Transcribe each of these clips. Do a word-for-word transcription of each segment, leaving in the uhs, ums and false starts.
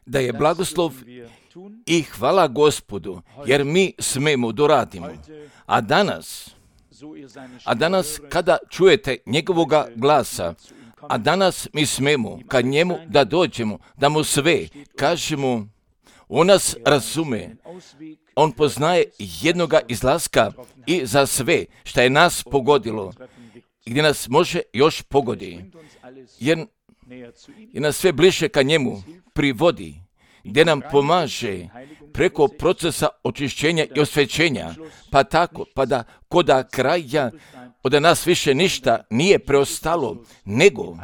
Da je blagoslov i hvala Gospodu, jer mi smemo doradimo. A danas, a danas kada čujete njegovoga glasa, a danas mi smemo ka njemu da dođemo, da mu sve kažemo, on nas razume, on poznaje jednoga izlaska i za sve što je nas pogodilo, gdje nas može još pogodi, jer, jer nas sve bliže ka njemu privodi, gdje nam pomaže preko procesa očišćenja i osvećenja, pa tako, pa da koda kraja od nas više ništa nije preostalo, nego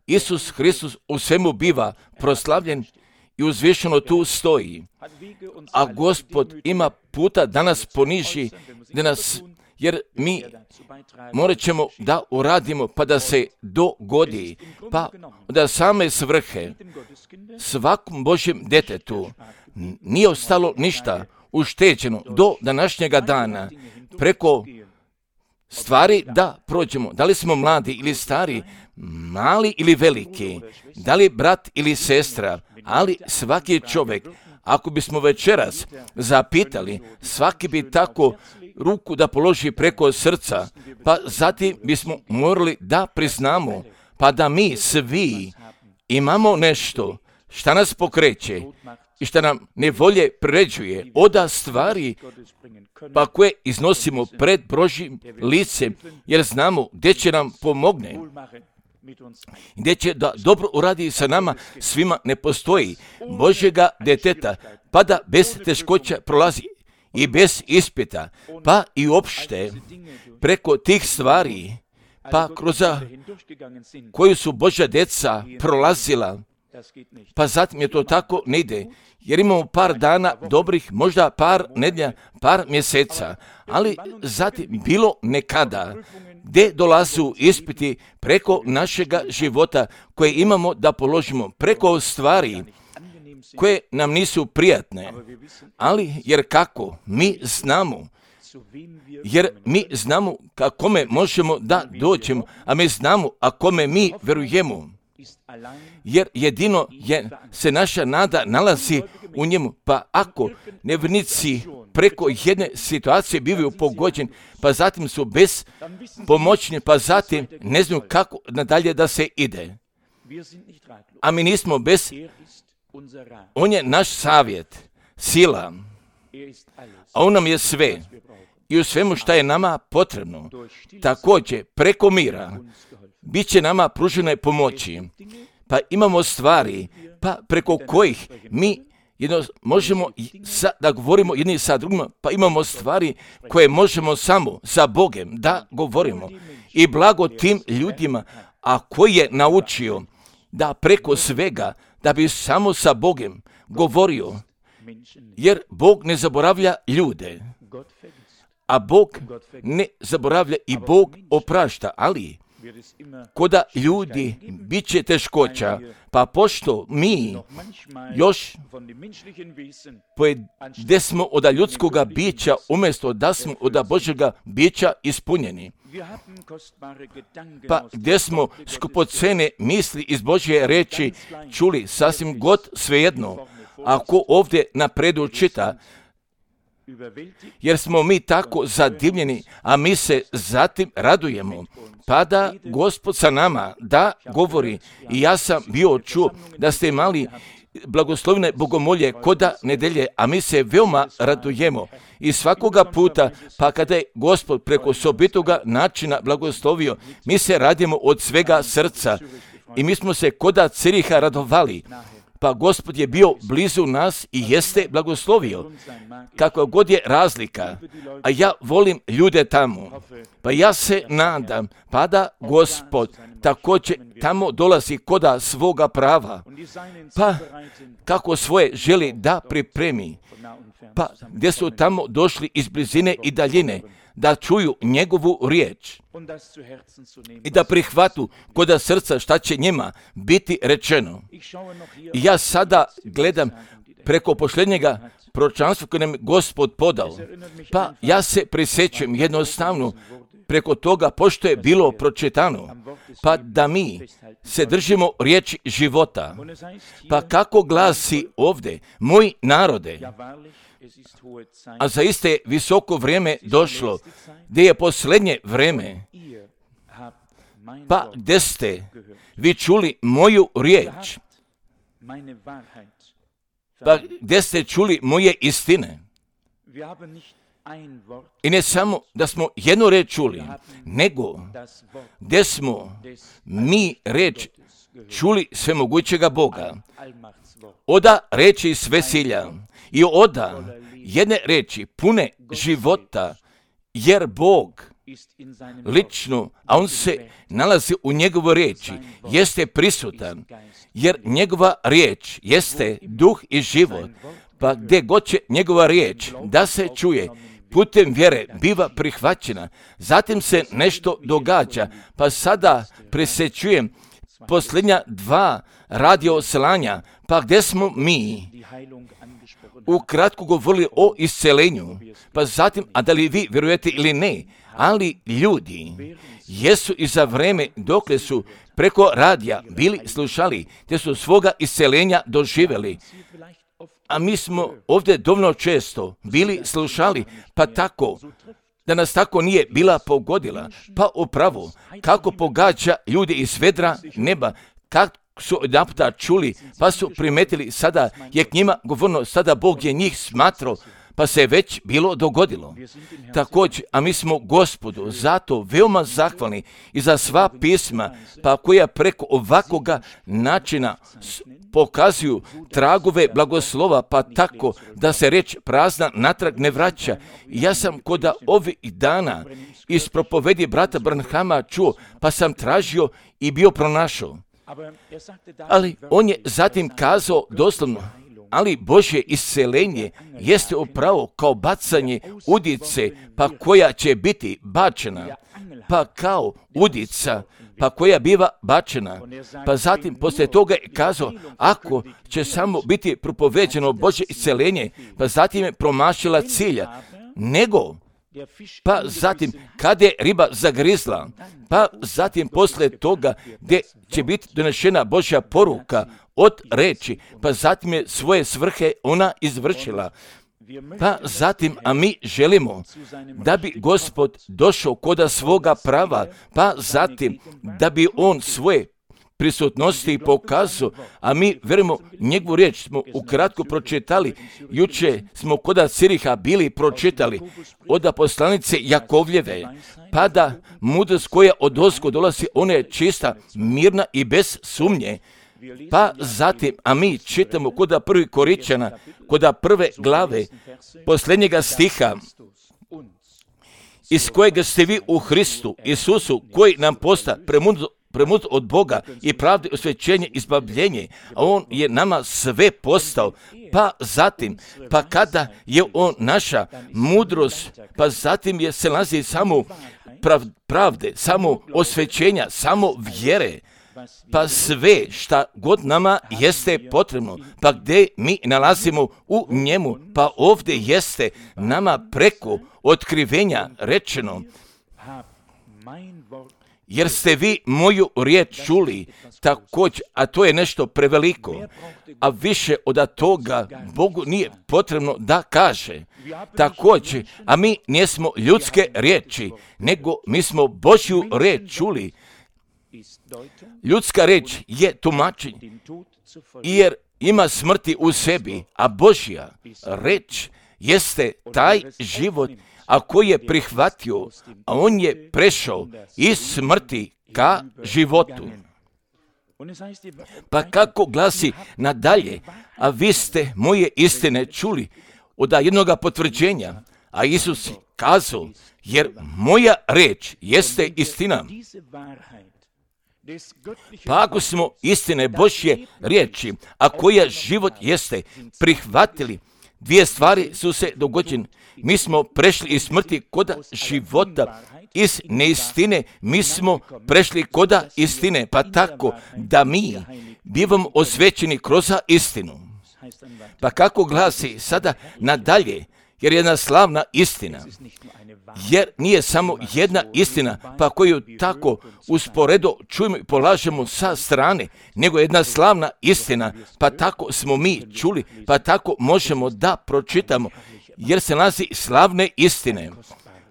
Isus Hristos u svemu biva proslavljen i uzvišeno tu stoji. A Gospod ima puta da nas poniži, da nas, jer mi morat ćemo da uradimo pa da se dogodi, pa da same svrhe svakom Božjem detetu nije ostalo ništa ušteđeno do današnjega dana preko stvari da prođemo. Da li smo mladi ili stari, mali ili veliki, da li brat ili sestra, ali svaki čovjek, ako bismo večeras zapitali, svaki bi tako ruku da položi preko srca, pa zatim bismo morali da priznamo, pa da mi svi imamo nešto šta nas pokreće i šta nam nevolje priređuje, oda stvari pa koje iznosimo pred Božjim licem, jer znamo gdje će nam pomogne, gdje će da dobro uradi sa nama, svima ne postoji Božjega deteta, pa da bez teškoća prolazi i bez ispita, pa i uopšte preko tih stvari, pa kroz koju su Božja deca prolazila, pa zatim je to tako ne ide, jer imamo par dana dobrih, možda par nedjelja, par mjeseca, ali zatim bilo nekada gdje dolazu ispiti preko našega života koje imamo da položimo, preko stvari koje nam nisu prijatne, ali jer kako mi znamo, jer mi znamo ka kome možemo da dođemo, a mi znamo a kome mi verujemo, jer jedino je, se naša nada nalazi u njemu, pa ako nevjernici preko jedne situacije bivaju pogođeni, pa zatim su bez pomoćni, pa zatim ne znaju kako nadalje da se ide. A mi nismo bez, on je naš savjet, sila, a on nam je sve i u svemu što je nama potrebno. Također preko mira bit će nama pružene pomoći, pa imamo stvari pa preko kojih mi jedno, možemo sa, da govorimo jedni sa drugima, pa imamo stvari koje možemo samo sa Bogem da govorimo. I blago tim ljudima, a koji je naučio da preko svega, da bi samo sa Bogem govorio, jer Bog ne zaboravlja ljude, a Bog ne zaboravlja i Bog oprašta, ali koda ljudi bit će teškoća, pa pošto mi još gdje smo od ljudskoga bića, umjesto da smo od Božjega bića ispunjeni, pa gdje smo skupocene misli iz Božje reči čuli sasvim god svejedno, ako ovdje napredu čita, jer smo mi tako zadivljeni, a mi se zatim radujemo, pa da Gospod sa nama da govori. I ja sam bio čuo da ste imali blagoslovne bogomolje koda nedelje, a mi se veoma radujemo. I svakoga puta, pa kada je Gospod preko sobitoga načina blagoslovio, mi se radimo od svega srca i mi smo se koda Ciriha radovali. Pa Gospod je bio blizu nas i jeste blagoslovio. Kako god je razlika, a ja volim ljude tamo, pa ja se nadam, pa da Gospod također tamo dolazi koda svoga prava, pa kako svoje želi da pripremi, pa gdje su tamo došli iz blizine i daljine, da čuju njegovu riječ i da prihvatu koda srca šta će njima biti rečeno. I ja sada gledam preko posljednjega proročanstva koje nam Gospod podao, pa ja se prisjećam jednostavno preko toga, pošto je bilo pročitano, pa da mi se držimo riječi života. Pa kako glasi ovdje, moj narode, a zaista je visoko vrijeme došlo, gdje je posljednje vrijeme, pa gdje ste vi čuli moju riječ, pa gdje ste čuli moje istine. I ne samo da smo jednu reč čuli, nego gdje smo mi reč čuli svemogućega Boga, oda reči svesilja i oda jedne reči pune života, jer Bog lično, a on se nalazi u njegovoj riječi, jeste prisutan, jer njegova riječ jeste duh i život, pa gdje god će njegova riječ da se čuje, putem vjere biva prihvaćena, zatim se nešto događa, pa sada presjećujem posljednja dva radio slanja, pa gdje smo mi ukratko govorili o iscelenju, pa zatim, a da li vi vjerujete ili ne, ali ljudi jesu i za vrijeme dokle su preko radija bili slušali, te su svoga iscelenja doživjeli. A mi smo ovdje dovoljno često bili slušali, pa tako, da nas tako nije bila pogodila, pa upravo, kako pogađa ljudi iz vedra neba, kako su odnaputa čuli, pa su primetili, sada je k njima govorno, sada Bog je njih smatrao, pa se već bilo dogodilo. Također, a mi smo Gospodu zato veoma zahvalni i za sva pisma, pa koja preko ovakvoga načina pokazuju tragove blagoslova, pa tako da se reč prazna natrag ne vraća. Ja sam koda ovih dana iz propovedi brata Branhama čuo, pa sam tražio i bio pronašao. Ali on je zatim kazao doslovno, ali Božje iscelenje jeste upravo kao bacanje udice, pa koja će biti bačena, pa kao udica, pa koja biva bačena. Pa zatim poslije toga je kazao, ako će samo biti propoveđeno Božje iscelenje, pa zatim je promašila cilja, nego pa zatim kada je riba zagrizla, pa zatim poslije toga gdje će biti donešena Božja poruka od reči, pa zatim je svoje svrhe ona izvršila. Pa zatim, a mi želimo da bi Gospod došao koda svoga prava, pa zatim da bi on svoje prisutnosti pokazao, a mi vjerujemo njegovu riječ smo ukratko pročitali. Juče smo koda Ciriha bili pročitali od poslanice Jakovljeve, pa da mudrost koja od ozgo dolazi, ona je čista, mirna i bez sumnje. Pa zatim, a mi čitamo koda prvi Korinćana, koda prve glave, posljednjega stiha, iz kojega ste vi u Hristu, Isusu, koji nam posta premudro premud od Boga i pravde, osvećenje, izbavljenje, a on je nama sve postao, pa zatim, pa kada je on naša mudrost, pa zatim je se nalazi samo prav, pravde, samo osvećenja, samo vjere, pa sve šta god nama jeste potrebno, pa gdje mi nalazimo u njemu, pa ovdje jeste nama preko otkrivenja rečeno, jer ste vi moju riječ čuli, također, a to je nešto preveliko, a više od toga Bogu nije potrebno da kaže. Također, a mi nismo ljudske riječi, nego mi smo Božju riječ čuli. Ljudska riječ je tumačenje, jer ima smrti u sebi, a Božja riječ jeste taj život, a koji je prihvatio, a on je prešao iz smrti ka životu. Pa kako glasi nadalje, a vi ste moje istine čuli od jednoga potvrđenja, a Isus kazao, jer moja reč jeste istina. Pa ako smo istine Božje riječi, a koja život jeste, prihvatili, dvije stvari su se dogodile. Mi smo prešli iz smrti koda života, iz neistine mi smo prešli koda istine, pa tako da mi bivamo osvećeni kroz istinu. Pa kako glasi sada nadalje, jer je jedna slavna istina. Jer nije samo jedna istina, pa koju tako usporedo čujemo i polažemo sa strane, nego jedna slavna istina, pa tako smo mi čuli, pa tako možemo da pročitamo, jer se nalazi slavne istine.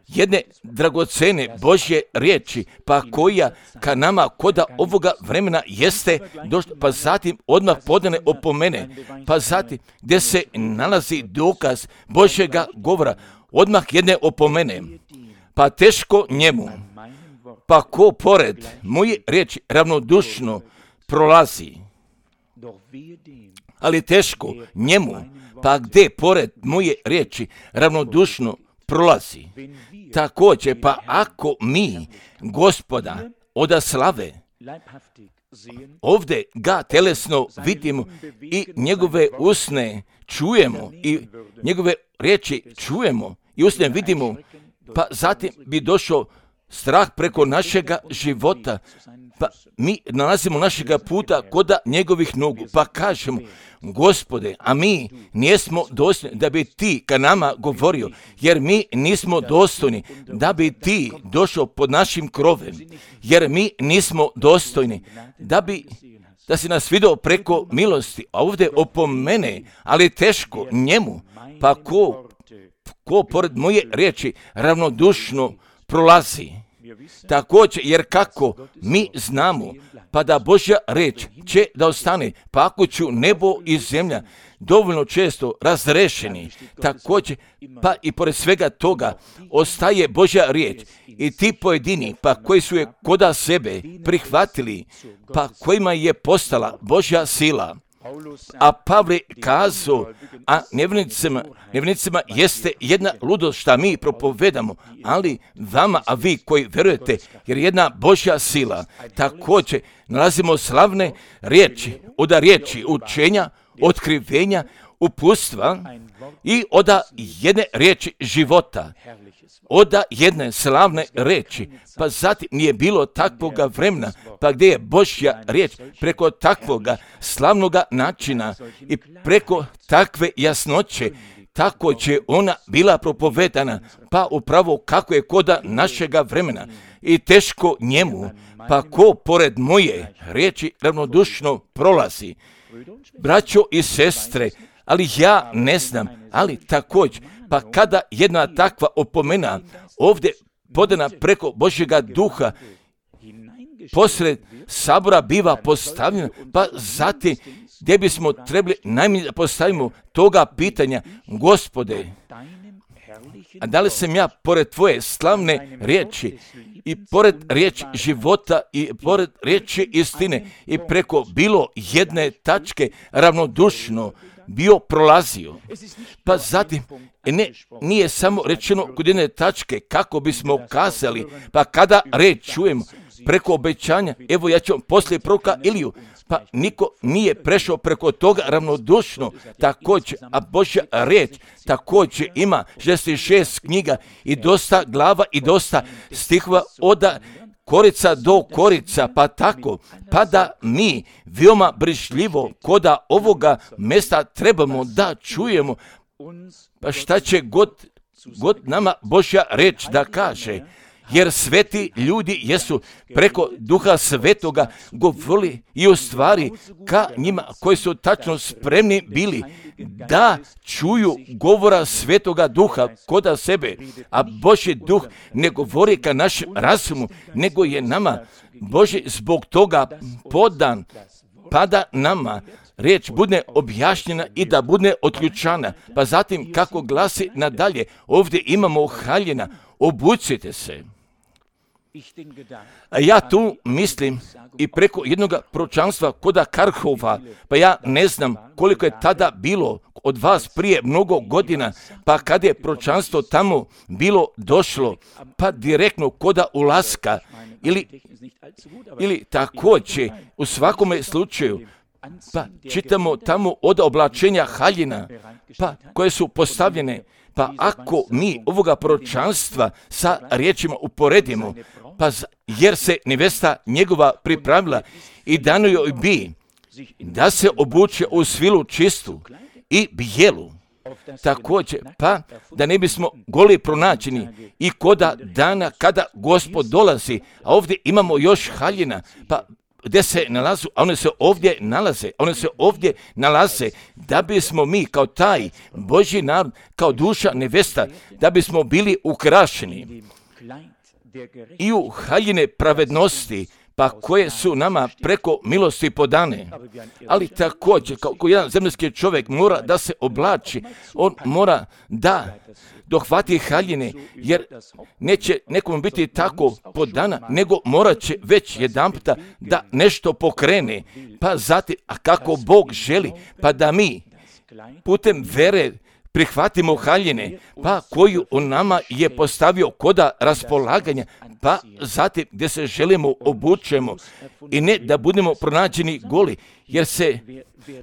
Jedne dragocene Božje riječi, pa koja ka nama koda ovoga vremena jeste došla, pa zatim odmah podane opomene, pa zatim gdje se nalazi dokaz Božjega govora, odmah jedne opomene, pa teško njemu, pa ko pored moje riječi ravnodušno prolazi, ali teško njemu, pa gdje pored moje riječi ravnodušno prolazi. Također, pa ako mi Gospoda oda slave ovdje ga telesno vidimo i njegove usne čujemo i njegove riječi čujemo i usne vidimo, pa zatim bi došao strah preko našega života, pa mi nalazimo našega puta koda njegovih nogu, pa kažemo, Gospode, a mi nismo dostojni da bi ti ka nama govorio, jer mi nismo dostojni da bi ti došao pod našim krovem, jer mi nismo dostojni da bi da si nas vidio preko milosti, a ovdje opomene, ali teško njemu, pa ko, ko pored moje riječi ravnodušno prolazi. Također, jer kako mi znamo, pa da Božja riječ će da ostane, pa ako ću nebo i zemlja dovoljno često razrešeni, također, pa i pored svega toga ostaje Božja riječ i ti pojedini, pa koji su je koda sebe prihvatili, pa kojima je postala Božja sila. A Pavle kazao, a nevjernicima, nevjernicima jeste jedna ludost šta mi propovedamo, ali vama, a vi koji verujete, jer jedna Božja sila, također nalazimo slavne riječi, oda riječi učenja, otkrivenja, uputstva i oda jedne riječi života, oda jedne slavne riječi, pa zatim nije bilo takvoga vremena, pa gdje je Božja riječ preko takvoga slavnoga načina i preko takve jasnoće, tako će ona bila propovedana, pa upravo kako je koda našega vremena i teško njemu, pa ko pored moje riječi ravnodušno prolazi. Braćo i sestre, ali ja ne znam, ali također, pa kada jedna takva opomena ovdje podana preko Božjega duha posred sabora biva postavljena, pa zatim gdje bismo trebali najmanje da postavimo toga pitanja, Gospode, a da li sam ja pored tvoje slavne riječi i pored riječi života i pored riječi istine i preko bilo jedne tačke ravnodušno bio prolazio. Pa zatim, ne, nije samo rečeno kod jedne tačke kako bismo kazali, pa kada reč čujemo preko obećanja, evo ja ću vam poslije proroka Iliju, pa niko nije prešao preko toga ravnodušno, također, a Božja riječ također ima šezdeset šest knjiga i dosta glava i dosta stihova oda korica do korica, pa tako, pa da mi veoma brižljivo koda ovoga mjesta trebamo da čujemo, pa šta će god, god nama Božja reč da kaže, jer sveti ljudi jesu preko Duha Svetoga govorili i u stvari ka njima koji su tačno spremni bili da čuju govora Svetoga Duha koda sebe, a Božji Duh ne govori ka našem razumu, nego je nama Božji zbog toga podan, pa da nama riječ bude objašnjena i da bude otključana. Pa zatim kako glasi nadalje, ovdje imamo haljina, obucite se. A ja tu mislim i preko jednog proročanstva koda Karhova, pa ja ne znam koliko je tada bilo od vas prije mnogo godina, pa kad je proročanstvo tamo bilo došlo, pa direktno koda ulaska, ili, ili također u svakome slučaju, pa čitamo tamo od oblačenja haljina, pa koje su postavljene, pa ako mi ovoga proročanstva sa riječima uporedimo, pa jer se nevesta njegova pripravila i dano joj bi da se obuče u svilu čistu i bijelu, također, pa da ne bismo goli pronađeni i koda dana kada Gospod dolazi, a ovdje imamo još haljina, pa gdje se nalazu, a one se ovdje nalaze, one se ovdje nalaze, da bismo mi kao taj Božji narod, kao duša nevesta, da bismo bili ukrašeni i u haljine pravednosti, pa koje su nama preko milosti podane. Ali također, kao jedan zemaljski čovjek mora da se oblači, on mora da dohvati haljine, jer neće nekom biti tako podana, nego morat će već jedanputa da nešto pokrene, pa zatim, a kako Bog želi, pa da mi putem vere prihvatimo haljine, pa koju on nama je postavio koda raspolaganja, pa zatim gdje se želimo obučemo i ne da budemo pronađeni goli, jer se,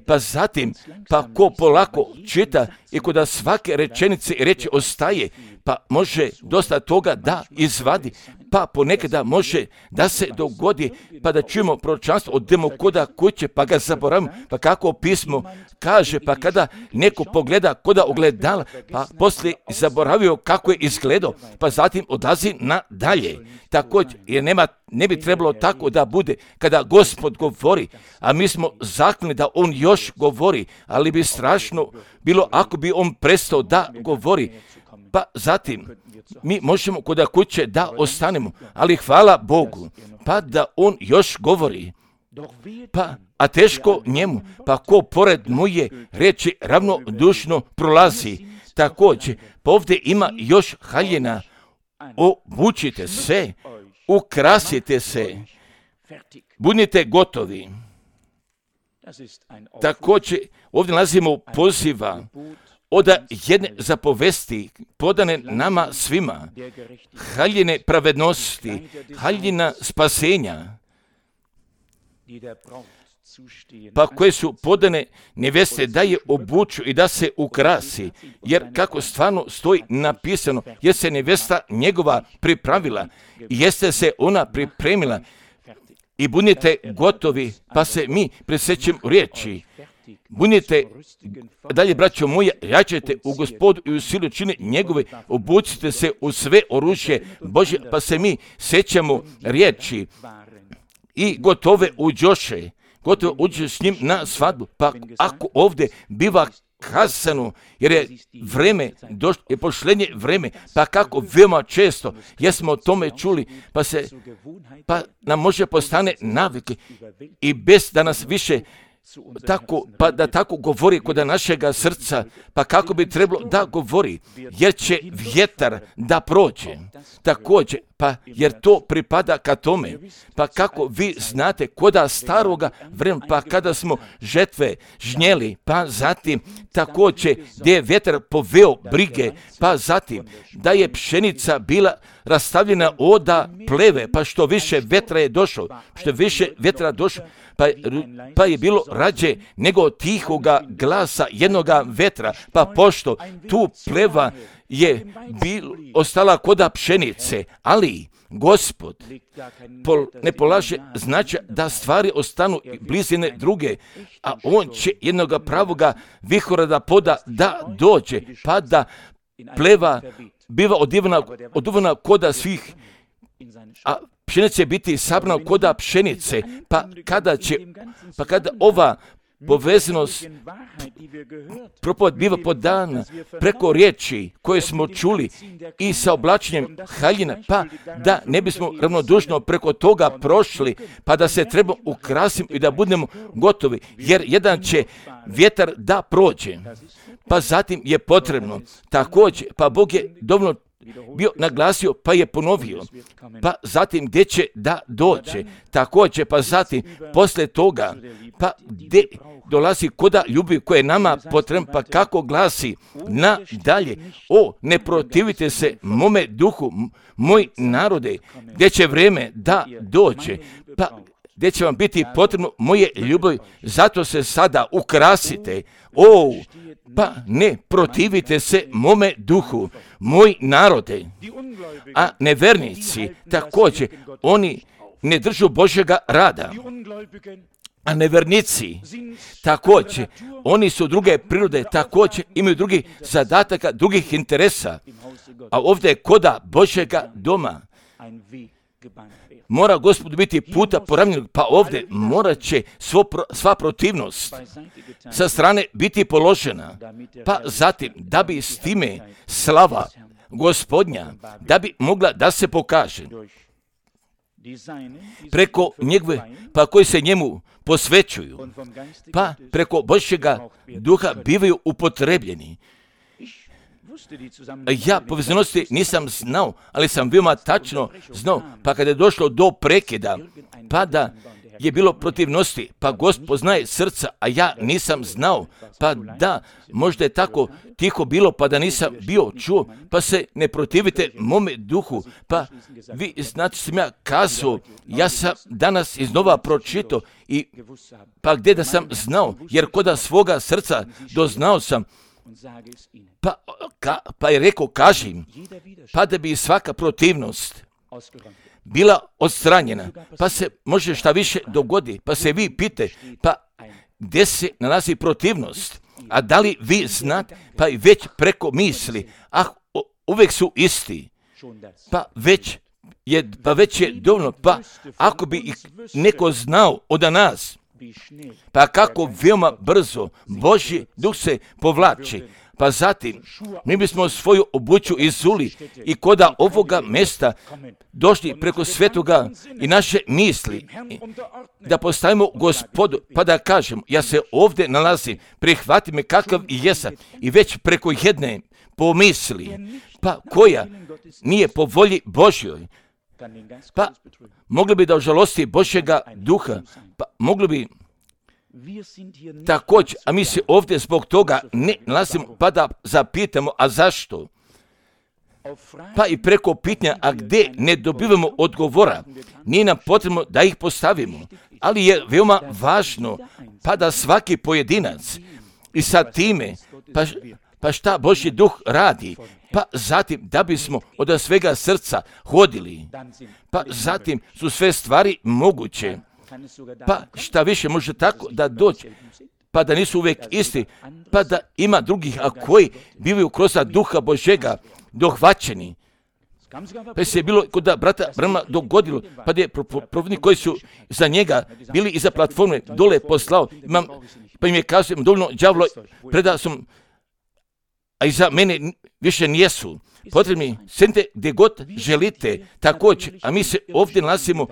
pa zatim, pa ko polako čita i koda svake rečenice i reči ostaje, pa može dosta toga da izvadi, pa ponekada može da se dogodi, pa da čujemo proročanstvo od koda kuće, pa ga zaboravimo, pa kako pismo kaže, pa kada neko pogleda koda ogledala, pa poslije zaboravio kako je izgledao, pa zatim odlazi nadalje. Također, jer nema, ne bi trebalo tako da bude kada Gospod govori, a mi smo zakljeni da on još govori, ali bi strašno bilo ako bi on prestao da govori. Pa zatim, mi možemo kod kuće da ostanemo, ali hvala Bogu, pa da on još govori. Pa, a teško njemu, pa ko pored moje reči ravnodušno prolazi. Također, pa ovdje ima još haljina. Obučite se, ukrasite se, budite gotovi. Također, ovdje nalazimo poziva od jedne zapovesti podane nama svima, haljine pravednosti, haljina spasenja, pa koje su podane neveste da je obuču i da se ukrasi, jer kako stvarno stoji napisano, jer se nevesta njegova pripravila i jeste se ona pripremila i budite gotovi, pa se mi presjećemo riječi. Budite, dalje braćo moji, jačajte u Gospodu i u silu čine njegove, obucite se u sve oružje Božje, pa se mi sjećamo riječi i gotove uđoše, gotovo uđe s njim na svadbu. Pa ako ovdje biva kazano, jer je vreme, došlo, je pošlenje vreme, pa kako veoma često jesmo o tome čuli, pa se, pa nam može postane navike i bez da nas više tako, pa da tako govori kod našega srca, pa kako bi trebalo da govori, jer će vjetar da prođe. Također, pa jer to pripada ka tome, pa kako vi znate koda staroga vremena, pa kada smo žetve žnjeli, pa zatim također gdje je vjetar poveo brige, pa zatim da je pšenica bila rastavljena oda pleve, pa što više vetra je došlo, što više vetra došlo, Pa, pa je bilo rađe nego tihoga glasa jednoga vetra, pa pošto tu pleva je bil, ostala koda pšenice, ali Gospod pol, ne polaže značaj da stvari ostanu blizine druge, a on će jednoga pravoga vihora da poda da dođe, pa da pleva biva odivana, odivana koda svih, a pšenica će biti sabrana koda pšenice, pa kada će, pa kada ova povezanost propoved biva podana preko riječi koje smo čuli i sa oblačenjem haljina, pa da ne bismo ravnodušno preko toga prošli, pa da se treba ukrasiti i da budemo gotovi, jer jedan će vjetar da prođe, pa zatim je potrebno također, pa Bog je dovoljno bio naglasio, pa je ponovio, pa zatim gdje će da dođe, također, pa zatim poslije toga, pa gdje dolazi koda ljubavi koje je nama potrebno, pa kako glasi nadalje, o, ne protivite se mome duhu, moj narode, gdje će vrijeme da dođe, pa gdje će vam biti potrebno moje ljubavi, zato se sada ukrasite, o, pa ne protivite se mome duhu, moj narode. A nevernici također, oni ne držu Božjega rada. A nevernici također, oni su druge prirode, također imaju drugih zadataka, drugih interesa. A ovdje je koda Božjega doma. Mora Gospodu biti puta poravnjenog, pa ovdje morat će svo, sva protivnost sa strane biti položena. Pa zatim, da bi s time slava Gospodnja, da bi mogla da se pokaže preko njegove, pa koji se njemu posvećuju, pa preko Božjega duha bivaju upotrebljeni. Ja povezanosti nisam znao, ali sam veoma tačno znao, pa kada je došlo do prekida, pa da je bilo protivnosti, pa Gospod znaje srca, a ja nisam znao, pa da, možda je tako tiho bilo, pa da nisam bio čuo, pa se ne protivite mome duhu, pa vi znači sam ja kazao, ja sam danas iznova pročitao, i pa gdje da sam znao, jer koda svoga srca doznao sam, pa, ka, pa je rekao, kažim, pa da bi svaka protivnost bila odstranjena, pa se može šta više dogodi, pa se vi pite, pa gdje se nalazi protivnost, a da li vi znate, pa i već preko misli, ah, uvijek su isti, pa već je, pa već je dovoljno, pa ako bi neko znao od nas, pa kako veoma brzo Božji duh se povlači, pa zatim mi bismo svoju obuću izuli i koda ovoga mjesta došli preko svetoga i naše misli, da postavimo Gospodu, pa da kažemo, ja se ovdje nalazim, prihvati me kakav i jesam, i već preko jedne pomisli, pa koja nije po volji Božjoj, pa mogli bi da ožalosti Božjega duha, pa mogli bi također, a mi se ovdje zbog toga ne nalazimo, pa da zapitamo, a zašto? Pa i preko pitanja, a gdje ne dobivamo odgovora, nije nam potrebno da ih postavimo, ali je veoma važno, pa da svaki pojedinac i sa time, pa, pa šta Božji duh radi, pa zatim da bismo od svega srca hodili, pa zatim su sve stvari moguće. Pa šta više može tako da dođe, pa da nisu uvijek isti, pa da ima drugih, a koji bivaju kroz duha Božjega dohvaćeni. Pa se je bilo kod da brata Brama dogodilo, pa da je provodnik koji su za njega bili iza platforme dole poslao, imam, pa im je kazao, dovoljno đavlo, predao sam, a iza mene više nijesu. Potrebni, sedite gdje god želite, također, a mi se ovdje nalazimo,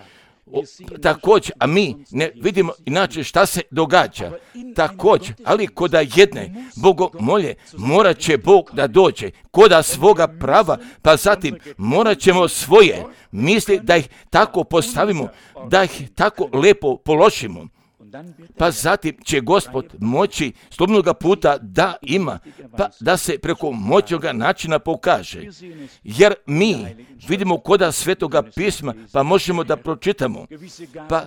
O, također, a mi ne vidimo inače šta se događa. Također, ali koda jedne bogomolje morat će Bog da dođe, koda svoga prava, pa zatim morat ćemo svoje misli da ih tako postavimo, da ih tako lepo položimo. Pa zatim će Gospod moći slobodnoga puta da ima, pa da se preko moćnoga načina pokaže. Jer mi vidimo koda Svetoga pisma, pa možemo da pročitamo, pa,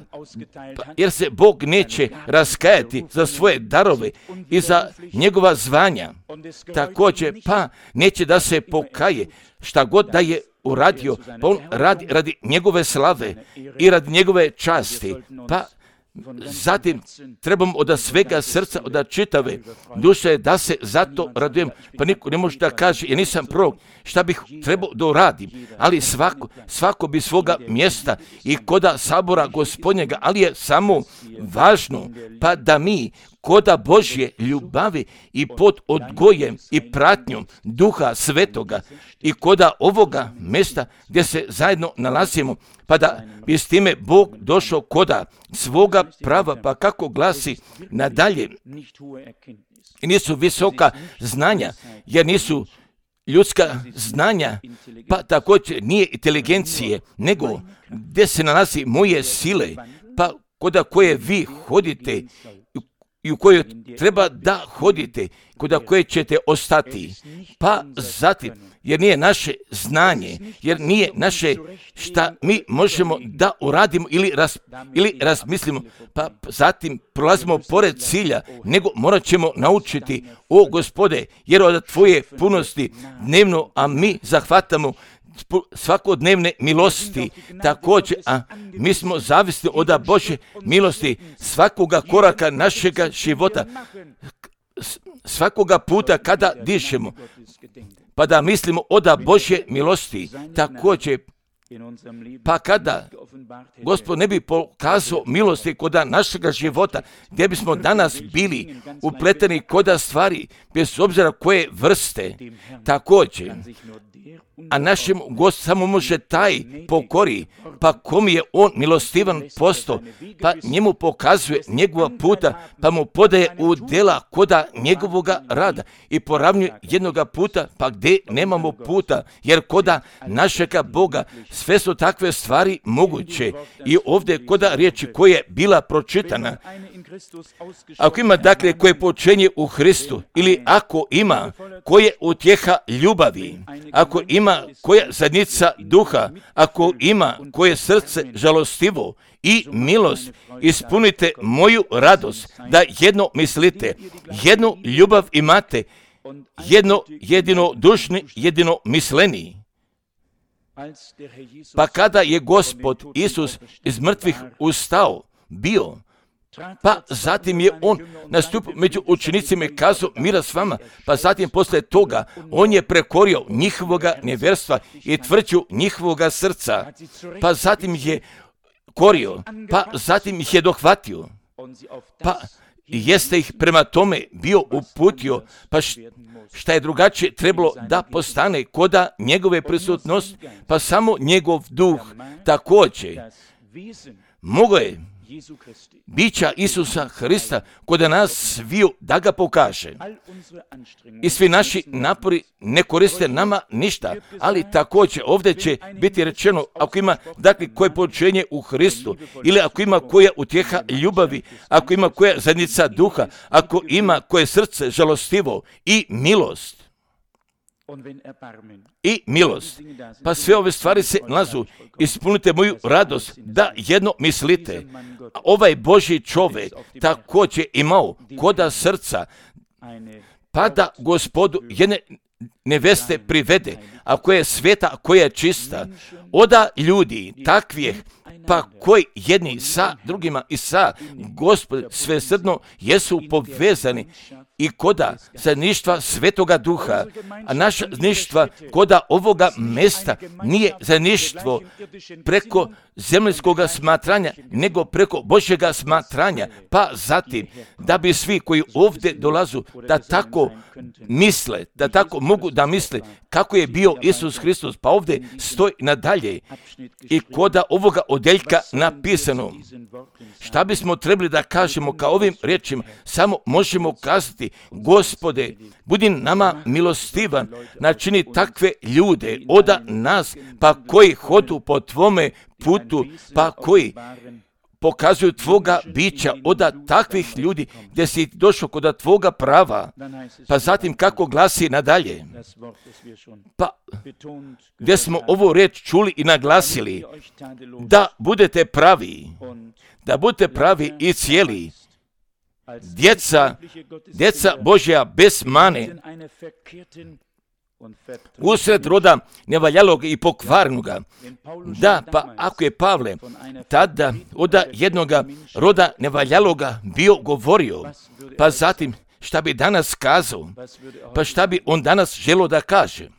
pa jer se Bog neće raskajati za svoje darove i za njegova zvanja. Također, pa neće da se pokaje šta god da je uradio, pa on radi radi njegove slave i radi njegove časti, pa zatim trebam od svega srca, od čitave duše da se zato radujem. Pa niko ne može da kaže, ja nisam prorok, šta bih trebao da uradim, ali svako, svako bi svoga mjesta i koda sabora Gospodnjega, ali je samo važno pa da mi koda Božje ljubavi i pod odgojem i pratnjom Duha Svetoga i koda ovoga mjesta gdje se zajedno nalazimo, pa da bi s time Bog došao koda svoga prava, pa kako glasi nadalje. I nisu visoka znanja, jer nisu ljudska znanja, pa također nije inteligencije, nego gdje se nalazi moje sile, pa koda koje vi hodite i u kojoj treba da hodite, koda koje ćete ostati. Pa zatim, jer nije naše znanje, jer nije naše šta mi možemo da uradimo ili, raz, ili razmislimo, pa zatim prolazimo pored cilja, nego morat ćemo naučiti, o Gospode, jer od tvoje punosti dnevno, a mi zahvatamo svakodnevne milosti. Također, a mi smo zavisni od Božje milosti svakoga koraka našega života, svakoga puta kada dišemo, pa da mislimo od Božje milosti. Također, pa kada Gospod ne bi pokazao milosti kod našega života, gdje bismo danas bili upleteni kod stvari, bez obzira koje vrste, također, a našem Gospod samo može taj pokori, pa kom je on milostivan posto, pa njemu pokazuje njegova puta, pa mu podaje u djela koda njegovoga rada i poravnjuje jednoga puta, pa gdje nemamo puta, jer koda našega Boga sve su takve stvari moguće. I ovdje koda riječi koja je bila pročitana, ako ima dakle koje počenje u Hristu, ili ako ima koje utjeha ljubavi, ako ima koja zadnjica duha, ako ima koje srce žalostivo i milost, ispunite moju radost, da jedno mislite, jednu ljubav imate, jedno jedino dušni, jedino misleni. Pa kada je Gospod Isus iz mrtvih ustao, bio, pa zatim je on nastupio među učenicima i kazao mira s vama, pa zatim poslije toga on je prekorio njihovoga nevjerstva i tvrđu njihovoga srca, pa zatim je korio, pa zatim ih je dohvatio, pa jeste ih prema tome bio uputio, pa šta je drugačije trebalo da postane koda njegove prisutnosti, pa samo njegov duh također mogo je bića Isusa Hrista kod nas sviju da ga pokaže. I svi naši napori ne koriste nama ništa, ali također ovdje će biti rečeno, ako ima dakle koje počinje u Hristu, ili ako ima koja utjeha ljubavi, ako ima koja zajednica duha, ako ima koje srce žalostivo i milost. I milost. Pa sve ove stvari se nalazu. Ispunite moju radost da jedno mislite. Ovaj Božji čovjek također imao koda srca, pa da Gospodu jedne neveste privede, a koja je sveta, a koja je čista, oda ljudi takvih, pa koji jedni sa drugima i sa Gospod svesrdno jesu povezani i koda zajedništva Svetoga Duha, a naša zajedništva koda ovoga mjesta nije zajedništvo preko zemljskoga smatranja, nego preko Božjega smatranja, pa zatim da bi svi koji ovdje dolazu da tako misle, da tako mogu da misle kako je bio Isus Hristos, pa ovdje stoji nadalje i koda ovoga odjeljka napisano. Šta bismo trebali da kažemo kao ovim riječima? Samo možemo kazati, Gospode, budi nama milostivan, načini takve ljude oda nas, pa koji hodu po tvome putu, pa koji pokazuju tvoga bića oda takvih ljudi gdje si došao kod tvoga prava, pa zatim kako glasi nadalje, pa gdje smo ovu riječ čuli i naglasili, da budete pravi, da budete pravi i cijeli, djeca, djeca Božja bez mane, usred roda nevaljalog i pokvarnoga. Da, pa ako je Pavle tada od jednoga roda nevaljaloga bio govorio, pa zatim šta bi danas kazao, pa šta bi on danas želio da kaže.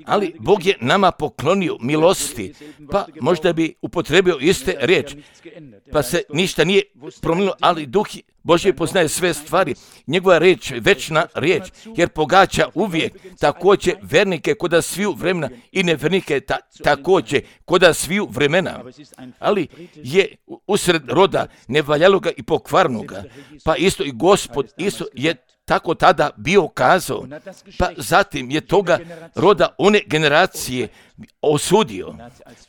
Ali Bog je nama poklonio milosti, pa možda bi upotrebio iste riječ, pa se ništa nije promijenilo, ali Duh Božji poznaje sve stvari, njegova riječ je večna riječ, jer pogađa uvijek također vernike koda sviju vremena i nevernike ta, također koda sviju vremena. Ali je usred roda nevaljaloga i pokvarnoga, pa isto i Gospod isto je tako tada bio kazao, pa zatim je toga roda one generacije osudio,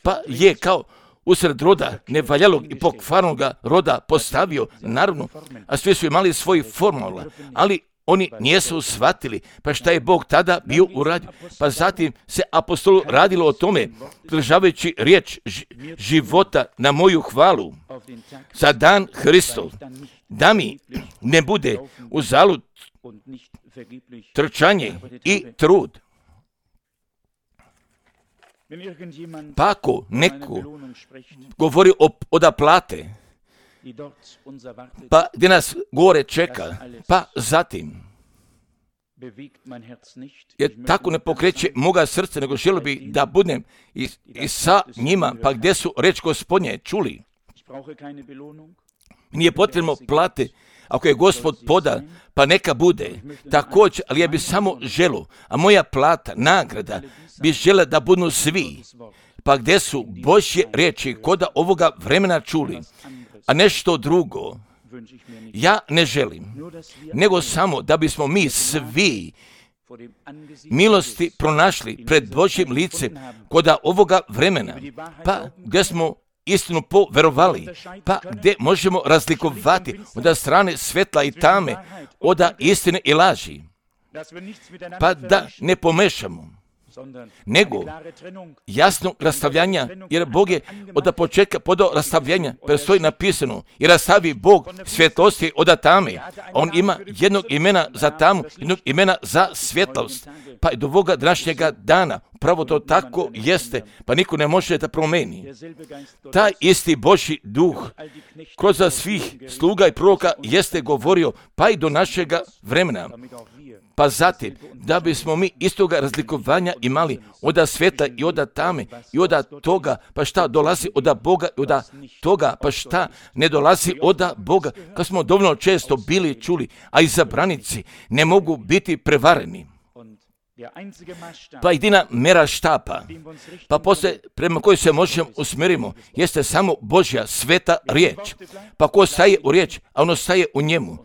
pa je kao usred roda nevaljalog i pokvarnoga roda postavio, naravno, a svi su imali svoj formula, ali oni nijesu shvatili, pa šta je Bog tada bio uradio. Pa zatim se apostolu radilo o tome, pridržavajući riječ života na moju hvalu za dan Hristov, da mi ne bude uzalud trčanje i trud. Pa ako neko govori o odaplate, pa gdje nas gore čeka, pa zatim, jer tako ne pokreće moga srca, nego želio bi da budem i, i sa njima, pa gdje su reč Gospodnje čuli. Nije potrebno plate, ako je Gospod poda, pa neka bude. Također, ali ja bi samo želio, a moja plata, nagrada, bi žela da budu svi. Pa gdje su Božje riječi koda ovoga vremena čuli, a nešto drugo, ja ne želim, nego samo da bismo mi svi milosti pronašli pred Božjim licem koda ovoga vremena, pa gdje smo istinu poverovali, pa gdje možemo razlikovati od strane svetla i tame, od istine i laži, pa da ne pomešamo, nego jasno rastavljanja, jer Bog je od početka podao rastavljanja, prestoji napisano, i rastavi Bog svjetlosti od tame. On ima jednog imena za tamu, jednog imena za svjetlost. Pa i do ovoga današnjega dana, pravo to tako jeste, pa niko ne može da promeni. Taj isti Božji duh kroz svih sluga i proroka jeste govorio, pa i do našega vremena. Pa zatim, da bismo mi istoga razlikovanja imali od sveta i od tame i od toga, pa šta dolazi od Boga i od toga, pa šta ne dolazi od Boga, kad smo dovoljno često bili čuli, a izabranici ne mogu biti prevareni. Pa jedina mera štapa, pa poslije prema kojoj se možemo usmjerimo, jeste samo Božja sveta riječ. Pa ko staje u riječ, a ono staje u njemu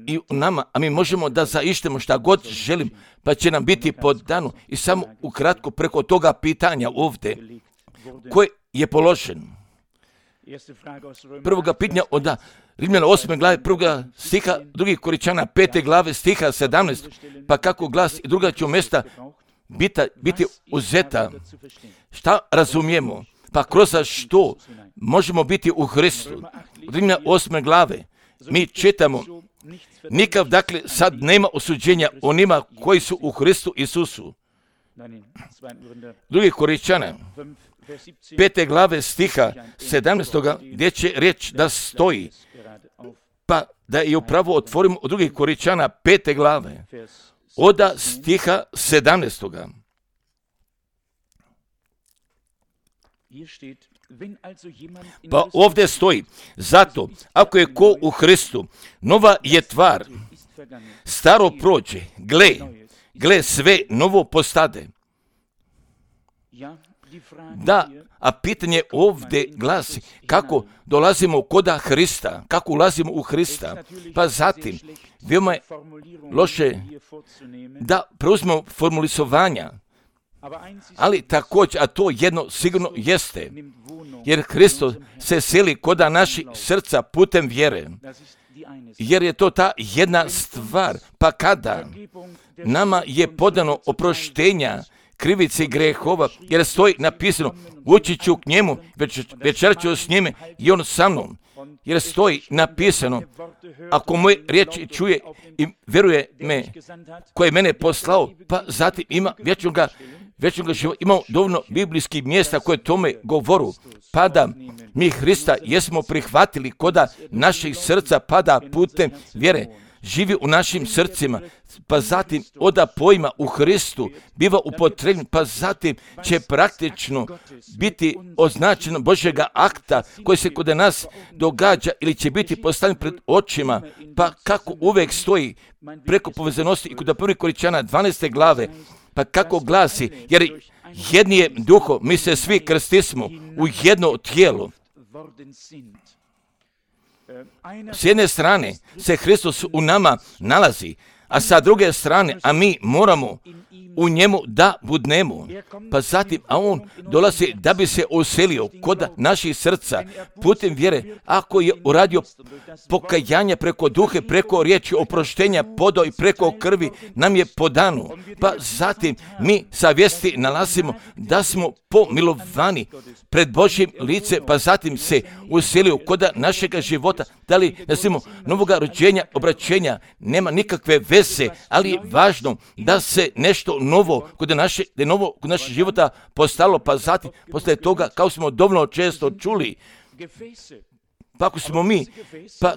i u nama, a mi možemo da zaištemo šta god želim, pa će nam biti podano. I samo ukratko preko toga pitanja ovdje, koje je položen. Prvoga pitanja od Rimljana osme glave, prvoga stiha, drugih Koričana pete glave, stiha sedamnaest, pa kako glasi i druga će mjesta biti, biti uzeta. Šta razumijemo? Pa kroz što možemo biti u Hristu. Rimljana osme glave, mi čitamo, nikav dakle sad nema osuđenja onima koji su u Hristu Isusu. Drugih Koričana pete glave stiha sedamnaestoga gdje će riječ da stoji, pa da je upravo otvorimo od drugih Koričana pete glave od stiha sedamnaestoga. Pa ovdje stoji, zato ako je ko u Hristu, nova je tvar, staro prođe, gle, gle sve novo postade. Da, a pitanje ovdje glasi, kako dolazimo koda Hrista, kako ulazimo u Hrista, pa zatim, veoma je loše da preuzmemo formulisovanja, ali također, a to jedno sigurno jeste, jer Hristos se seli koda naših srca putem vjere, jer je to ta jedna stvar, pa kada nama je podano oproštenja krivici grehova, jer stoji napisano, ući ću k njemu, večer ću s njime i on sa mnom, jer stoji napisano, ako moje riječi čuje i vjeruje me, koji je mene poslao, pa zatim ima vječnoga, vječnoga života. Imamo dovoljno biblijskih mjesta koje tome govoru, pa da mi Hrista jesmo prihvatili koda naših srca, pada putem vjere, živi u našim srcima, pa zatim oda pojma u Hristu biva upotrebljen, pa zatim će praktično biti označeno Božjega akta koji se kod nas događa ili će biti postavljen pred očima, pa kako uvek stoji preko povezanosti i kod prvih Koričana dvanaeste glave, pa kako glasi, jer jedni je duho, mi se svi krstismo u jedno tijelo. S jedne strane se Hristos u nama nalazi, a sa druge strane, a mi moramo u njemu da budnemo. Pa zatim, a on dolazi da bi se uselio kod naših srca putem vjere, ako je uradio pokajanje preko duhe, preko riječi oproštenja, podao i preko krvi nam je podano. Pa zatim mi sa vijesti nalazimo da smo pomilovani pred Božjim lice, pa zatim se uselio kod našega života. Da li nazivamo novoga rođenja, obraćenja, nema nikakve veze, ali je važno da se nešto novo kod naše, da je novo kod našeg života postalo, pa zatim posle toga, kao smo dovoljno često čuli, pa ako smo mi, pa,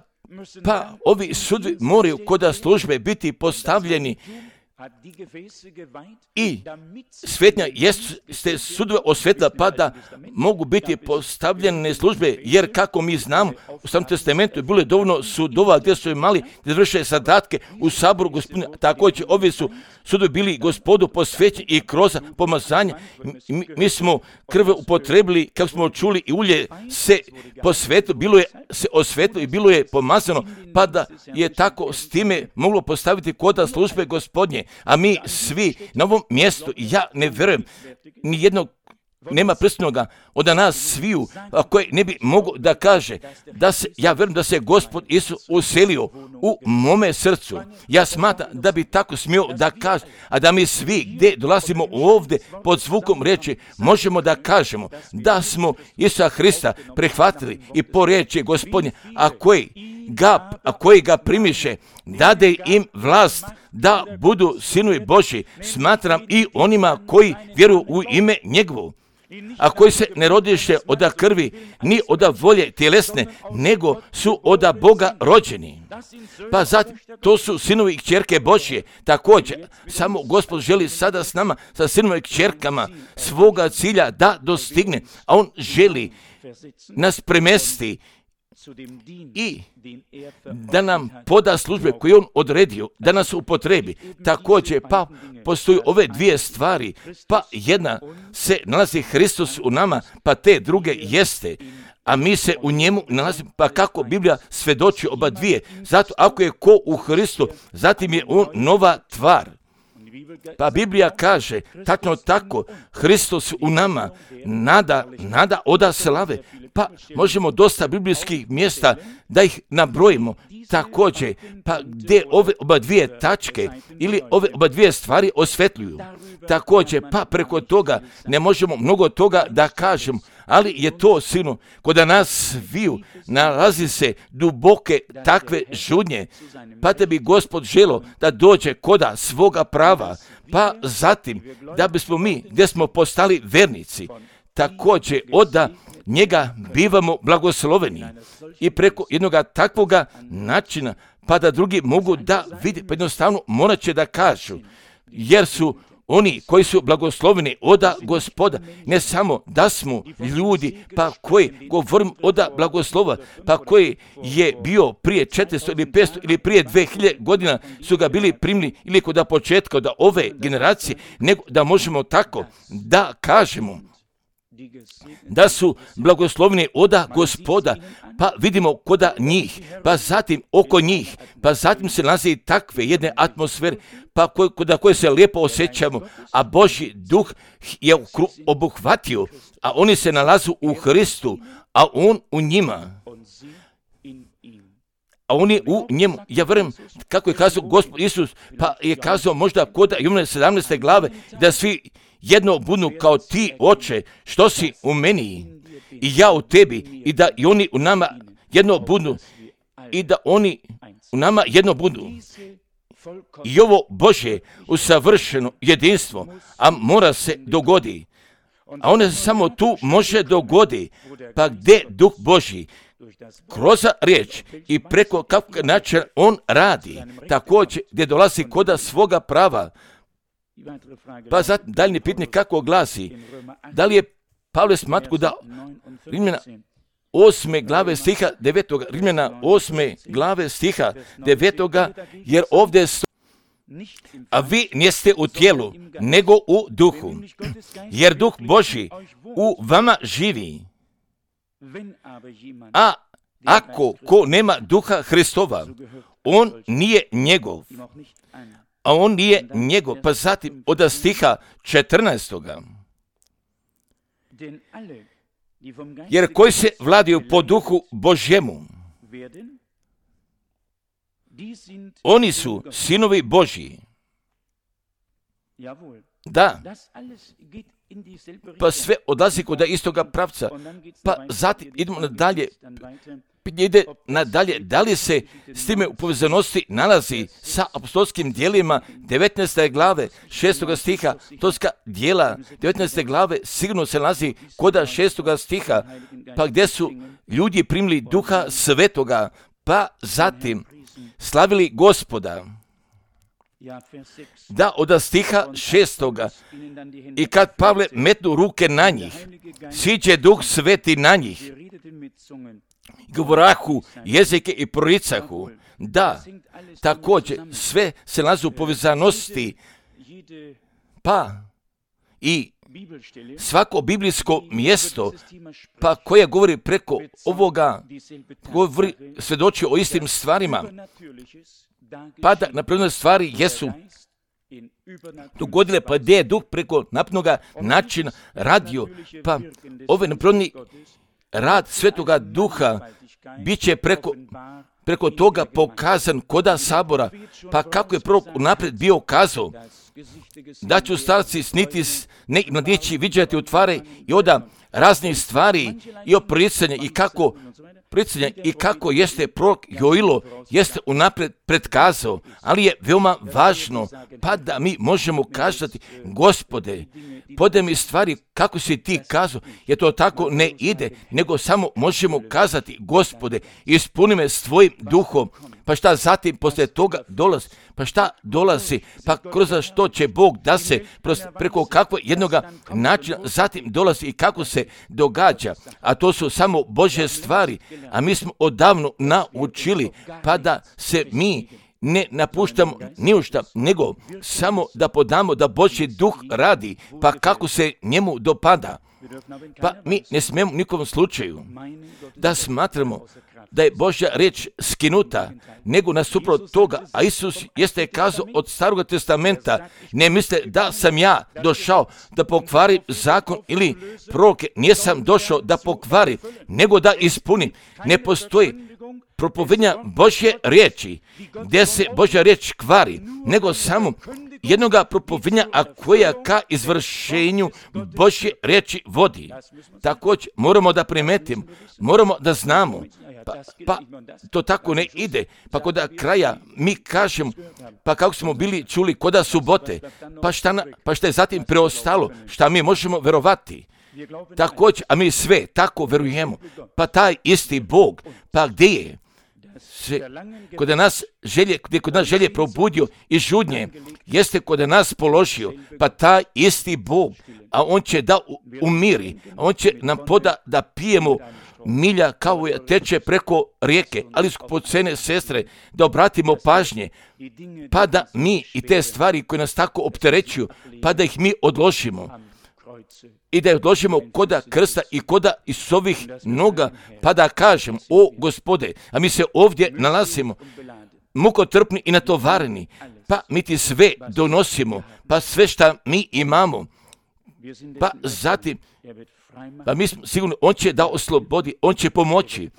pa ovi sudovi moraju kod službe biti postavljeni i svetnja jeste sudove osvetla, pa da mogu biti postavljene službe, jer kako mi znamo, u Starom testamentu je bilo dovoljno sudova gdje su imali da vrše zadatke u saboru gospodina. Također ovi su sudovi bili gospodu posvećeni i kroz pomazanje. Mi, mi smo krv upotrebili, kako smo čuli, i ulje se posvetilo, bilo je se osvetilo i bilo je pomazano, pa da je tako s time moglo postaviti kod službe gospodnje. A mi svi na ovom mjestu, ja ne vjerujem, ni jednog nema prstnoga od nas sviju koji ne bi mogu da kaže da se, ja vjerujem da se Gospod Isus uselio u mome srcu. Ja smatram da bi tako smio da kaže, a da mi svi gdje dolazimo ovdje pod zvukom riječi možemo da kažemo da smo Isusa Hrista prihvatili i po riječi Gospodnje, a koji ga, a koji ga primiše, dade im vlast da budu sinovi Božji. Smatram i onima koji vjeruju u ime njegovo, a koji se ne rodiše od krvi, ni od volje tjelesne, nego su od Boga rođeni. Pa zatim, to su sinovi i kćerke Božje. Također, samo Gospod želi sada s nama, sa sinovima i kćerkama, svoga cilja da dostigne, a On želi nas premesti i da nam poda službe koje on odredio, da nas upotrebi. Također, pa postoji ove dvije stvari, pa jedna se nalazi Hristos u nama, pa te druge jeste, a mi se u njemu nalazimo, pa kako Biblija svedoči oba dvije. Zato ako je ko u Hristu, zatim je on nova tvar. Pa Biblija kaže, tačno tako, Hristos u nama, nada, nada oda slave. Pa možemo dosta biblijskih mjesta da ih nabrojimo. Također, pa gdje ove oba dvije tačke ili ove oba dvije stvari osvetljuju. Također, pa preko toga ne možemo mnogo toga da kažemo, ali je to, sinu, kod nas sviju nalazi se duboke takve žudnje, pa te bi Gospod želo da dođe koda svoga prava, pa zatim da bismo mi, gdje smo postali vernici, također oda njega bivamo blagosloveni i preko jednog takvoga načina, pa da drugi mogu da vidi, pa jednostavno morat će da kažu, jer su oni koji su blagosloveni oda Gospoda, ne samo da smo ljudi, pa koji govorim oda blagoslova, pa koji je bio prije četiristo ili petsto ili prije dvije hiljade godina su ga bili primili ili kod početka od ove generacije, nego da možemo tako da kažemo da su blagosloveni oda Gospoda, pa vidimo koda njih, pa zatim oko njih, pa zatim se nalazi takve jedne atmosfere, pa koda koje se lijepo osjećamo, a Božji duh je obuhvatio, a oni se nalazu u Hristu, a on u njima. A oni u njemu, ja vjerujem, kako je kazao Gospod Isus, pa je kazao možda kod Ivana sedamnaeste glave, da svi jedno budu kao ti, Oče, što si u meni i ja u tebi, i da i oni u nama jedno budu, i da oni u nama jedno budu. I ovo Božje usavršeno jedinstvo, a mora se dogodi. A ono se samo tu može dogodi, pa gdje Duh Božji kroz riječ i preko kakvog načina on radi, također gdje dolazi koda svoga prava. Pa zatim daljnje pitanje kako glasi, da li je Pavle smatku da Rimljana osme glave stiha devetoga, Rimljana osme glave stiha devetoga, jer ovdje sto, a vi niste u tijelu, nego u duhu, jer Duh Božji u vama živi. A ako ko nema Duha Hristova, on nije njegov. A on nije njegov, pa zatim od stiha četrnaestoga. Jer koji se vladaju po Duhu Božjemu, oni su sinovi Božji. Da, pa sve odlazi kod istoga pravca. Pa zatim idemo nadalje. ide nadalje, da li se s time u povezanosti nalazi sa apostolskim dijelima devetnaeste glave šestoga stiha, apostolska dijela devetnaeste glave sigurno se nalazi kod šestoga stiha, pa gdje su ljudi primili Duha Svetoga, pa zatim slavili Gospoda. Da, od stiha šestoga, i kad Pavle metnu ruke na njih, siđe Duh Sveti na njih, govorahu jezike i proricahu. Da, također sve se nalazi u povezanosti, pa i svako biblijsko mjesto, pa koje govori preko ovoga, govori, svjedoči o istim stvarima, pa da napredne stvari jesu dogodile, pa gdje je Duh preko naprednoga načina radio, pa ove napredni rad Svetoga Duha bit će preko, preko toga pokazan koda sabora, pa kako je prorok unaprijed bio kazao, da će starci sniti ne i mladići viđati utvare i oda raznih stvari i o proricanje i kako proricanje i kako jeste prorok Joilo jeste unaprijed predkazao, ali je veoma važno pa da mi možemo kazati, Gospode, podaj mi stvari kako si ti kazao, jer to tako ne ide, nego samo možemo kazati, Gospode, ispuni me s tvojim duhom. Pa šta zatim poslije toga dolazi? Pa šta dolazi? Pa kroz što će Bog da se preko kakvog jednoga načina zatim dolazi i kako se događa. A to su samo Božje stvari. A mi smo odavno naučili pa da se mi ne napuštamo ni u šta, nego samo da podamo da Božji duh radi, pa kako se njemu dopada. Pa mi ne smijemo u nikom slučaju da smatramo da je Božja riječ skinuta, nego nasuprot toga, a Isus jeste kazao od Starog testamenta, ne misle da sam ja došao da pokvarim zakon ili proroke, nisam došao da pokvarim, nego da ispunim. Ne postoji propovednja Božje riječi, gdje se Božja riječ kvari, nego samo jednoga propovednja, a koja ka izvršenju Božje riječi vodi. Također moramo da primetimo, moramo da znamo, pa, pa to tako ne ide, pa kod kraja mi kažemo, pa kako smo bili čuli koda subote, pa šta, na, pa šta je zatim preostalo, šta mi možemo verovati. Također, a mi sve tako verujemo, pa taj isti Bog, pa gdje je? Se, kod nas želje, gdje kod nas želje probudio i žudnje, jeste kod nas položio, pa taj isti Bog, a on će da umiri, a on će nam poda da pijemo milja kao je teče preko rijeke, ali skupocene sestre, da obratimo pažnje, pa da mi i te stvari koje nas tako opterećuju, pa da ih mi odložimo. I da je odložimo koda krsta i koda iz ovih noga, pa da kažem, o Gospode, a mi se ovdje nalazimo, mukotrpni i natovareni, pa mi ti sve donosimo, pa sve šta mi imamo, pa zatim, pa mi smo sigurno, on će da oslobodi, on će pomoći,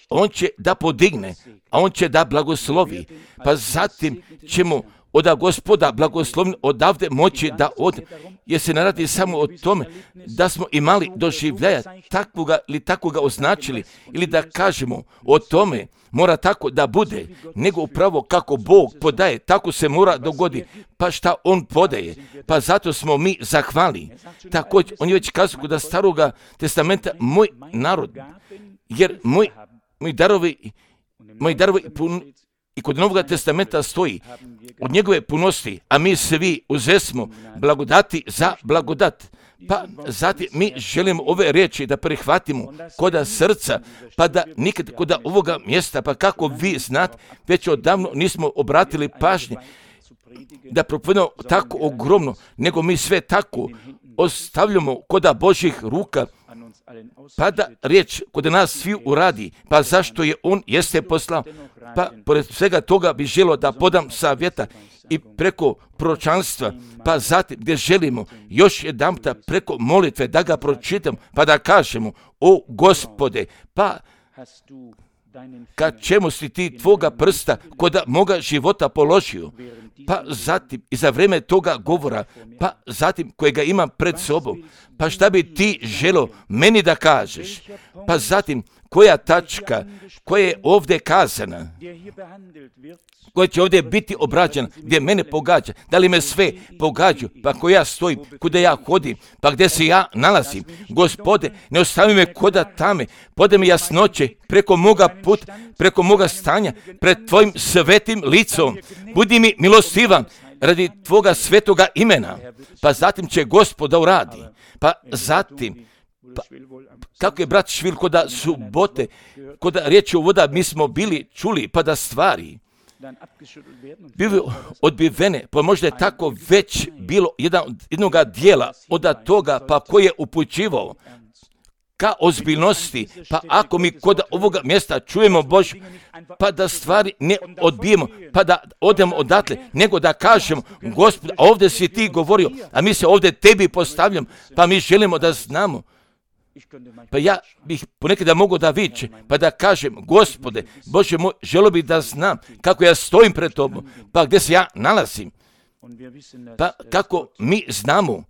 on će da podigne, a on će da blagoslovi, pa zatim ćemo od Gospoda blagoslovni odavde moći da od, jer se ne radi samo o tome da smo imali doživljaja takvoga ili takvoga označili ili da kažemo o tome mora tako da bude, nego upravo kako Bog podaje, tako se mora dogoditi, pa šta On podaje, pa zato smo mi zahvali. Također, on je već kazao kod Staroga testamenta, moj narod, jer moj, moj darovi, moj darovi pun, i kod Novoga testamenta stoji od njegove punosti, a mi svi uzesmo blagodati za blagodat. Pa zatim mi želimo ove riječi da prihvatimo koda srca, pa da nikad koda ovoga mjesta, pa kako vi znate, već odavno nismo obratili pažnje da propovedamo tako ogromno, nego mi sve tako ostavljamo koda Božjih ruka, pa da riječ kod nas svi uradi, pa zašto je on jeste poslao, pa pored svega toga bi želio da podam savjeta i preko proročanstva, pa zatim gdje želimo još jedanputa preko molitve da ga pročitam, pa da kažemo, o Gospode, pa kad čemu si ti tvoga prsta kod moga života položio, pa zatim i za vrijeme toga govora, pa zatim kojega imam pred sobom, Pa šta bi ti želo meni da kažeš? Pa zatim, koja tačka, koja je ovdje kazana, koja će ovdje biti obrađena, gdje mene pogađa, da li me sve pogađaju, pa ko ja stojim, kuda ja hodim, pa gdje se ja nalazim. Gospode, ne ostavi me koda tame, podaj mi jasnoće preko moga puta, preko moga stanja, pred tvojim svetim licom. Budi mi milostivan radi tvoga svetoga imena. Pa zatim će Gospod da uradi. Pa zatim, pa, kako je brat Švil koda subote, koda riječi o voda, mi smo bili čuli, pa da stvari bili odbivene, pa možda je tako već bilo jedan, jednoga dijela od toga, pa koji je upućivao ka ozbiljnosti, pa ako mi kod ovoga mjesta čujemo Božju, pa da stvari ne odbijemo, pa da odemo odatle, nego da kažemo, Gospod, ovdje si ti govorio, a mi se ovdje tebi postavljamo, pa mi želimo da znamo. Pa ja bih ponekada mogao da viče, pa da kažem, Gospode, Bože moj, želio bih da znam kako ja stojim pred tobom, pa gdje se ja nalazim. Pa kako mi znamo,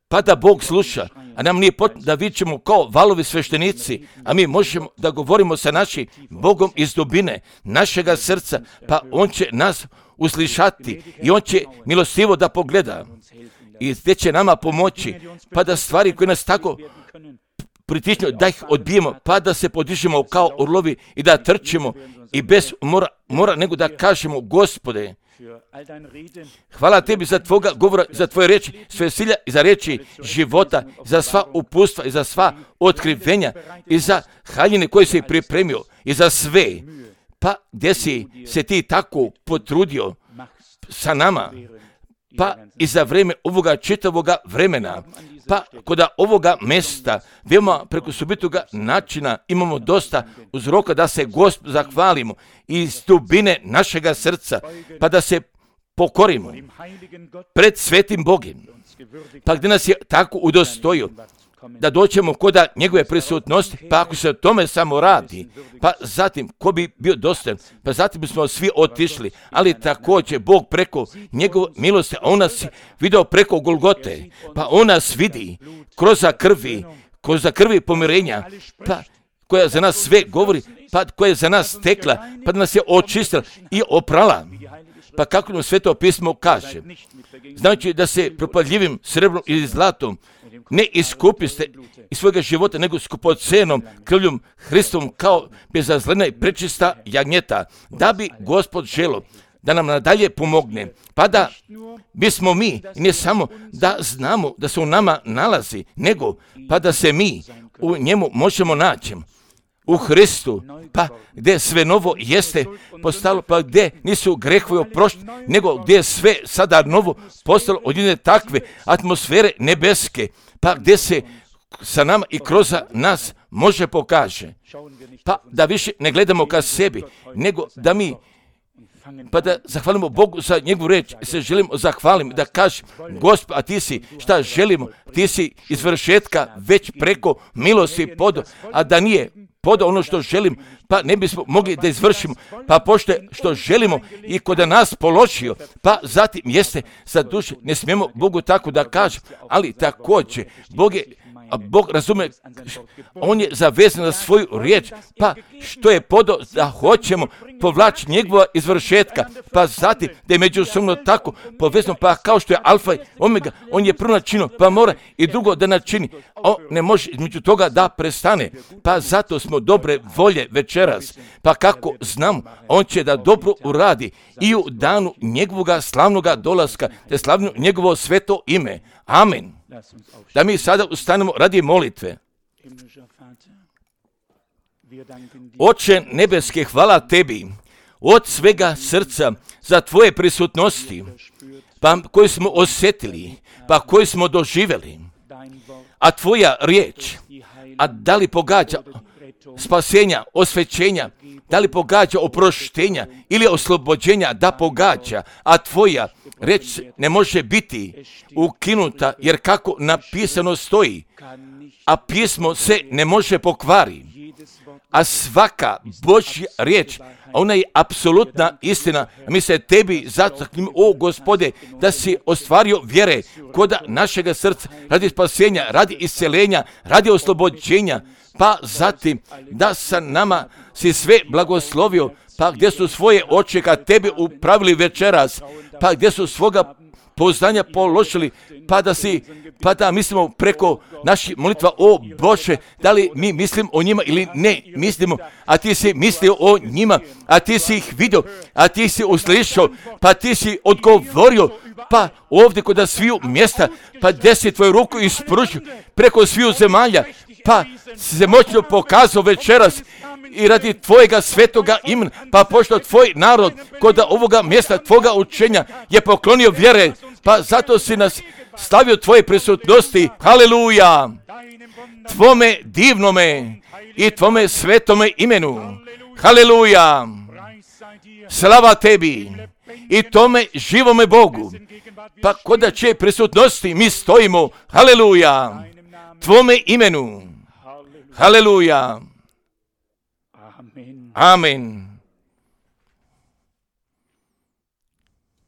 pa da Bog sluša, a nam nije potrebno da vičemo kao valovi sveštenici, a mi možemo da govorimo sa našim Bogom iz dubine našega srca, pa On će nas uslišati i On će milostivo da pogleda i gdje će nama pomoći, pa da stvari koje nas tako pritičnu, da ih odbijemo, pa da se podižemo kao orlovi i da trčimo i bez mora, mora nego da kažemo, Gospode, hvala tebi za tvoga govora, za tvoje riječi, sve silja i za riječi života, za sva upustva i za sva otkrivenja i za haljine koje si pripremio i za sve. Pa gdje si se ti tako potrudio sa nama, pa i za vrijeme ovoga čitavoga vremena, pa kod ovoga mjesta, veoma preko subitoga načina imamo dosta uzroka da se Gospodu zahvalimo iz dubine našega srca, pa da se pokorimo pred svetim Bogom, pa gdje nas je tako udostojio da doćemo koda njegove prisutnosti, pa ako se o tome samo radi, pa zatim ko bi bio dostojan, pa zatim bismo svi otišli, ali također Bog preko njegove milosti, a On nas vidio preko Golgote, pa On nas vidi kroz krvi, kroz krvi pomirenja, pa koja za nas sve govori, pa koja je za nas tekla, pa da nas je očistila i oprala. Pa kako nam Sveto pismo kaže, znači da se propadljivim srebrom ili zlatom ne iskupiste iz svojega života, nego skupocenom krvljom Hristovom kao bezazlena i prečista jagnjeta, da bi Gospod želo da nam nadalje pomogne, pa da bismo mi, ne samo da znamo da se u nama nalazi, nego pa da se mi u njemu možemo naći. U Hristu, pa gdje sve novo jeste postalo, pa gdje nisu grehovi oprošteni, nego gdje je sve sada novo postalo od jedne takve atmosfere nebeske, pa gdje se sa nama i kroz nas može pokaže. Pa da više ne gledamo ka sebi, nego da mi, pa da zahvalimo Bogu za njegovu reč, se želimo zahvaliti, da kažem, Gospod, a ti si, šta želimo, ti si iz vršetka već preko milosti podo, a da nije podo ono što želim, pa ne bismo mogli da izvršimo, pa pošto što želimo i kod nas položio, pa zatim jeste za duše, ne smijemo Bogu tako da kažem, ali također, Bog je, a Bog razume, On je zavezan za svoju riječ, pa što je podo da hoćemo povlači njegova izvršetka, pa zatim da je međusobno tako povezano, pa kao što je alfa i omega, on je prvo načinio, pa mora i drugo da načini, on ne može između toga da prestane, pa zato smo dobre volje večeras, pa kako znamo, on će da dobro uradi i u danu njegovoga slavnoga dolaska, te slavno njegovo sveto ime. Amen. Da mi sada ustanemo radi molitve. Oče nebeske, hvala tebi od svega srca za tvoje prisutnosti, pa koju smo osjetili, pa koju smo doživjeli. A tvoja riječ, a da li pogađa spasenja, osvećenja, da li pogađa oproštenja ili oslobođenja, da pogađa, a tvoja reč ne može biti ukinuta, jer kako napisano stoji, a pismo se ne može pokvari, a svaka Božja riječ, ona je apsolutna istina. Mi se tebi zataknimo, o Gospode, da si ostvario vjere kod našega srca, radi spasenja, radi isceljenja, radi oslobođenja, pa zatim da sa nama si sve blagoslovio, pa gdje su svoje oči ka tebi upravili večeras, pa gdje su svoga poznanja položili, pa da si, pa da mislimo preko naših molitva, o Bože, da li mi mislim o njima ili ne mislimo, a ti si mislio o njima, a ti si ih vidio, a ti si uslišao, pa ti si odgovorio, pa ovdje kod sviju mjesta, pa gdje si tvoju ruku ispružio preko sviju zemalja, pa si se moćno pokazao večeras i radi tvojega svetoga imena, pa pošto tvoj narod kod ovoga mjesta tvoga učenja je poklonio vjere, pa zato si nas stavio tvoje prisutnosti, haleluja, tvome divnome i tvome svetome imenu, haleluja, slava tebi i tome živome Bogu, pa kod čije prisutnosti mi stojimo, haleluja, tvome imenu, haleluja, amen.